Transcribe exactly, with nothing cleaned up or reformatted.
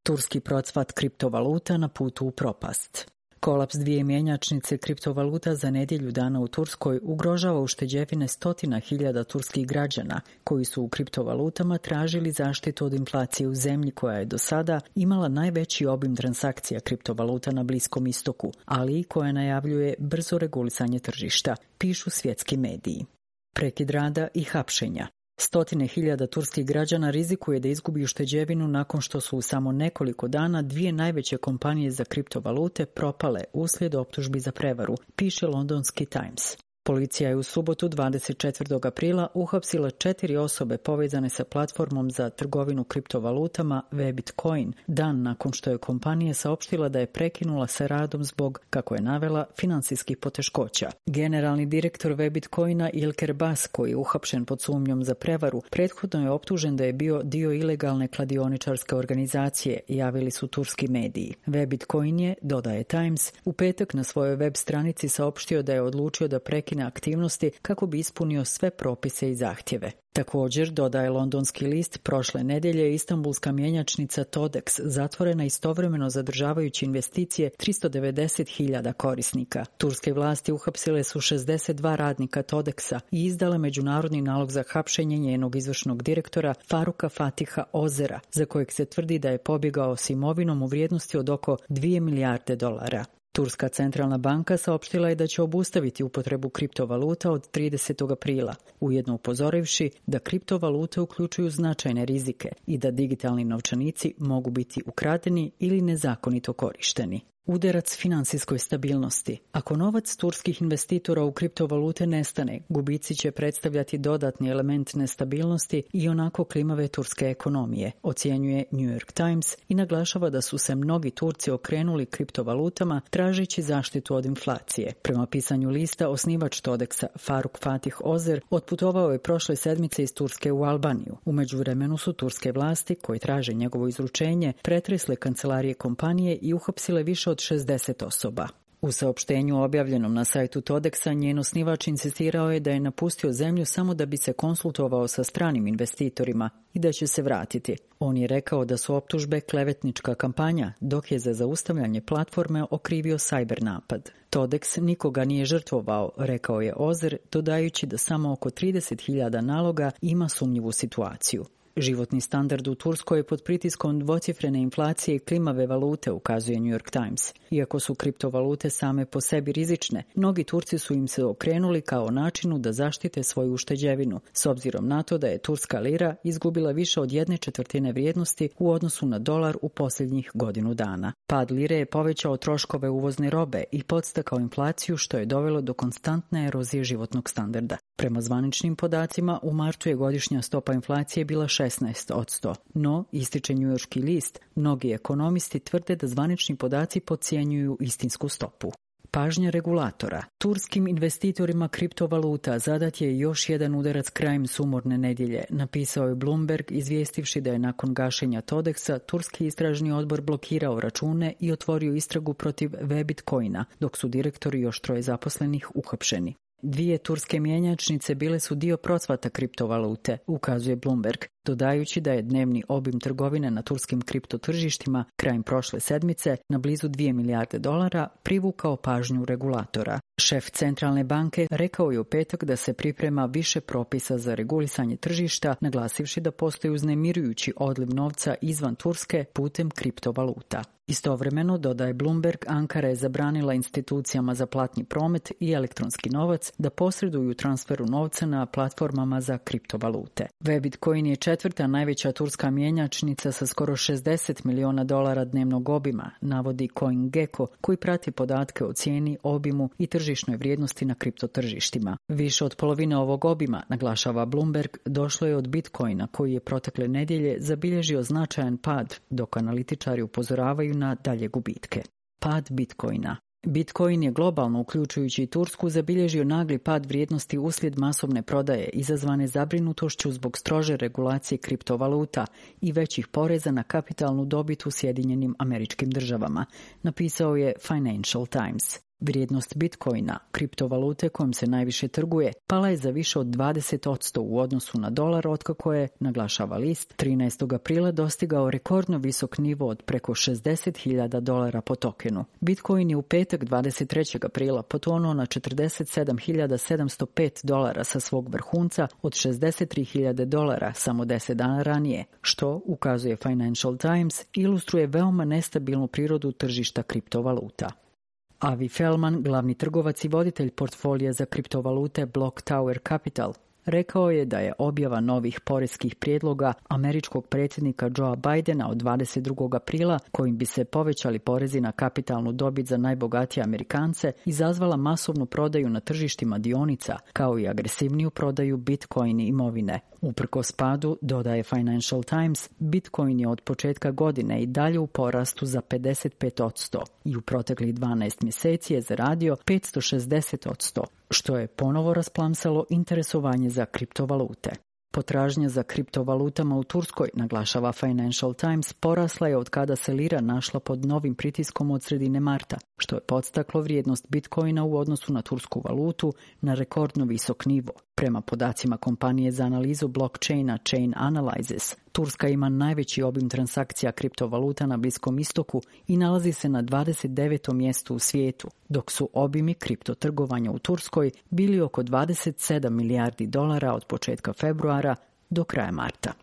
Turski procvat kriptovaluta na putu u propast. Kolaps dvije mjenjačnice kriptovaluta za nedjelju dana u Turskoj ugrožava ušteđevine stotina hiljada turskih građana koji su u kriptovalutama tražili zaštitu od inflacije u zemlji koja je do sada imala najveći obim transakcija kriptovaluta na Bliskom istoku, ali i koja najavljuje brzo regulisanje tržišta, pišu svjetski mediji. Prekid rada i hapšenja. Stotine hiljada turskih građana rizikuje da izgubi ušteđevinu nakon što su u samo nekoliko dana dvije najveće kompanije za kriptovalute propale uslijed optužbi za prevaru, piše londonski Times. Policija je u subotu dvadeset četvrtog aprila uhapsila četiri osobe povezane sa platformom za trgovinu kriptovalutama Webitcoin, dan nakon što je kompanija saopštila da je prekinula sa radom zbog, kako je navela, financijskih poteškoća. Generalni direktor Webitcoina Ilker Bas, koji je uhapšen pod sumnjom za prevaru, prethodno je optužen da je bio dio ilegalne kladioničarske organizacije, javili su turski mediji. Webitcoin je, dodaje Times, u petak na svojoj web stranici saopštio da je odlučio da prekine aktivnosti kako bi ispunio sve propise i zahtjeve. Također, dodaje londonski list, prošle nedjelje je istanbulska mjenjačnica Todex zatvorena istovremeno zadržavajući investicije tristo devedeset hiljada korisnika. Turske vlasti uhapsile su šezdeset dva radnika Todexa i izdale međunarodni nalog za hapšenje njenog izvršnog direktora Faruka Fatiha Ozera, za kojeg se tvrdi da je pobjegao s imovinom u vrijednosti od oko dvije milijarde dolara. Turska centralna banka saopštila je da će obustaviti upotrebu kriptovaluta od tridesetog aprila, ujedno upozorivši da kriptovalute uključuju značajne rizike i da digitalni novčanici mogu biti ukradeni ili nezakonito korišteni. Udarac financijskoj stabilnosti. Ako novac turskih investitora u kriptovalute nestane, gubici će predstavljati dodatni element nestabilnosti i onako klimave turske ekonomije, ocjenjuje New York Times i naglašava da su se mnogi Turci okrenuli kriptovalutama tražeći zaštitu od inflacije. Prema pisanju lista, osnivač Todexa Faruk Fatih Ozer otputovao je prošle sedmice iz Turske u Albaniju. U međuvremenu su turske vlasti, koje traže njegovo izručenje, pretresle kancelarije kompanije i uhapsile više od šezdeset osoba. U saopštenju objavljenom na sajtu Todexa, njen osnivač insistirao je da je napustio zemlju samo da bi se konsultovao sa stranim investitorima i da će se vratiti. On je rekao da su optužbe klevetnička kampanja, dok je za zaustavljanje platforme okrivio sajber napad. Todex nikoga nije žrtvovao, rekao je Ozer, dodajući da samo oko trideset hiljada naloga ima sumnjivu situaciju. Životni standard u Turskoj je pod pritiskom dvocifrene inflacije i klimave valute, ukazuje New York Times. Iako su kriptovalute same po sebi rizične, mnogi Turci su im se okrenuli kao načinu da zaštite svoju ušteđevinu, s obzirom na to da je turska lira izgubila više od jedne četvrtine vrijednosti u odnosu na dolar u posljednjih godinu dana. Pad lire je povećao troškove uvozne robe i podstakao inflaciju, što je dovelo do konstantne erozije životnog standarda. Prema zvaničnim podacima, u martu je godišnja stopa inflacije bila šesnaest posto, no, ističe njujorški list, mnogi ekonomisti tvrde da zvanični podaci podcjenjuju istinsku stopu. Pažnja regulatora. Turskim investitorima kriptovaluta zadat je još jedan udarac krajem sumorne nedjelje, napisao je Bloomberg, izvijestivši da je nakon gašenja Todexa turski istražni odbor blokirao račune i otvorio istragu protiv Webitcoina, dok su direktori još troje zaposlenih uhapšeni. Dvije turske mjenjačnice bile su dio procvata kriptovalute, ukazuje Bloomberg, dodajući da je dnevni obim trgovine na turskim kriptotržištima krajem prošle sedmice na blizu dvije milijarde dolara privukao pažnju regulatora. Šef centralne banke rekao je u petak da se priprema više propisa za regulisanje tržišta, naglasivši da postoji uznemirujući odliv novca izvan Turske putem kriptovaluta. Istovremeno, dodaje Bloomberg, Ankara je zabranila institucijama za platni promet i elektronski novac da posreduju transferu novca na platformama za kriptovalute. Webitcoin je četvrta najveća turska mjenjačnica sa skoro šezdeset miliona dolara dnevnog obima, navodi CoinGecko, koji prati podatke o cijeni, obimu i tržišnoj vrijednosti na kriptotržištima. Više od polovine ovog obima, naglašava Bloomberg, došlo je od Bitcoina, koji je protekle nedjelje zabilježio značajan pad, dok analitičari upozoravaju na dalje gubitke. Pad Bitcoina. Bitcoin je globalno, uključujući i Tursku, zabilježio nagli pad vrijednosti uslijed masovne prodaje izazvane zabrinutošću zbog strože regulacije kriptovaluta i većih poreza na kapitalnu dobit u Sjedinjenim Američkim Državama, napisao je Financial Times. Vrijednost Bitcoina, kriptovalute kojom se najviše trguje, pala je za više od dvadeset posto u odnosu na dolar otkako je, naglašava list, trinaestog aprila dostigao rekordno visok nivo od preko šezdeset hiljada dolara po tokenu. Bitcoin je u petak dvadeset trećeg aprila potonuo na četrdeset sedam hiljada sedamsto pet dolara sa svog vrhunca od šezdeset tri hiljade dolara samo deset dana ranije, što, ukazuje Financial Times, ilustruje veoma nestabilnu prirodu tržišta kriptovaluta. Avi Feldman, glavni trgovac i voditelj portfolija za kriptovalute Block Tower Capital, rekao je da je objava novih poreskih prijedloga američkog predsjednika Joea Bidena od dvadeset drugog aprila, kojim bi se povećali porezi na kapitalnu dobit za najbogatije Amerikance, izazvala masovnu prodaju na tržištima dionica, kao i agresivniju prodaju Bitcoin imovine. Uprkos padu, dodaje Financial Times, Bitcoin je od početka godine i dalje u porastu za pedeset pet posto i u proteklih dvanaest mjeseci je zaradio petsto šezdeset posto, što je ponovo rasplamsalo interesovanje za kriptovalute. Potražnja za kriptovalutama u Turskoj, naglašava Financial Times, porasla je od kada se lira našla pod novim pritiskom od sredine marta, što je podstaklo vrijednost Bitcoina u odnosu na tursku valutu na rekordno visok nivo. Prema podacima kompanije za analizu blockchaina Chain Analysis, Turska ima najveći obim transakcija kriptovaluta na Bliskom istoku i nalazi se na dvadeset devetom mjestu u svijetu, dok su obimi kriptotrgovanja u Turskoj bili oko dvadeset sedam milijardi dolara od početka februara do kraja marta.